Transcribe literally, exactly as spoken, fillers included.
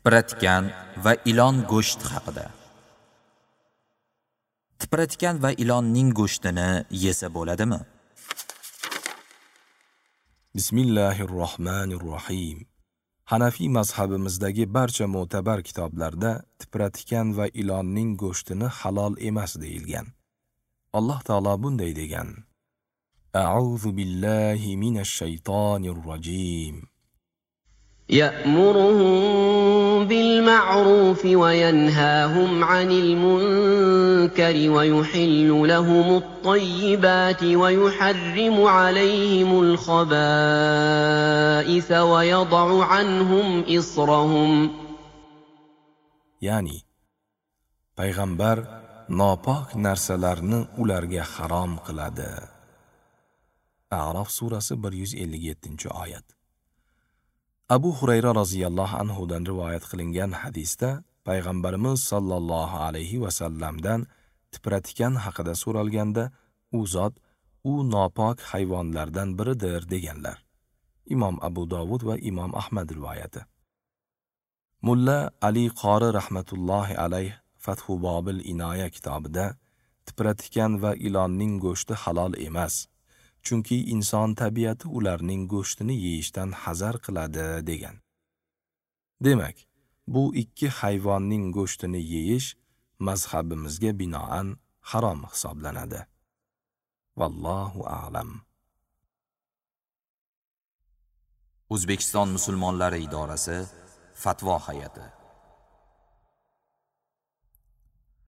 Tipratikan va ilon go'shti haqida. Tipratikan va ilonning go'shtini yesa bo'ladimi? Bismillahirrohmanirrohim. Hanafiy mazhabimizdagi barcha mo'tabar kitoblarda tipratikan va ilonning go'shtini halol emas deyilgan. Alloh taolo bunday degan: A'udhu billahi minash shaytonir rojim. يأمرهم بالمعروف وينهاهم عن المنكر ويحل لهم الطيبات ويحرم عليهم الخبائث ويضع عنهم إصرهم. Ya'ni payg'ambar nopok narsalarni ularga harom qiladi. A'rof surasi bir yuz ellik yettinchi oyat. Abu Hurayra roziyallohu anhu dan rivoyat qilingan hadisda payg'ambarimiz sallallohu alayhi va sallamdan tipratikan haqida so'ralganda u zot u nopok hayvonlardan biridir deganlar. Imom Abu Dovud va Imom Ahmad rivoyati. Mulla Ali Qori rahmatullohi alayh Fathu Bobil Inoya kitobida tipratikan va ilonning go'shti halol emas, chunki inson tabiati ularning go'shtini yeyishdan hazar qiladi degan. Demak, bu ikki hayvonning go'shtini yeyish mazhabimizga binoan harom hisoblanadi. Vallohu a'lam. O'zbekiston musulmonlari idorasi Fatvo hay'ati.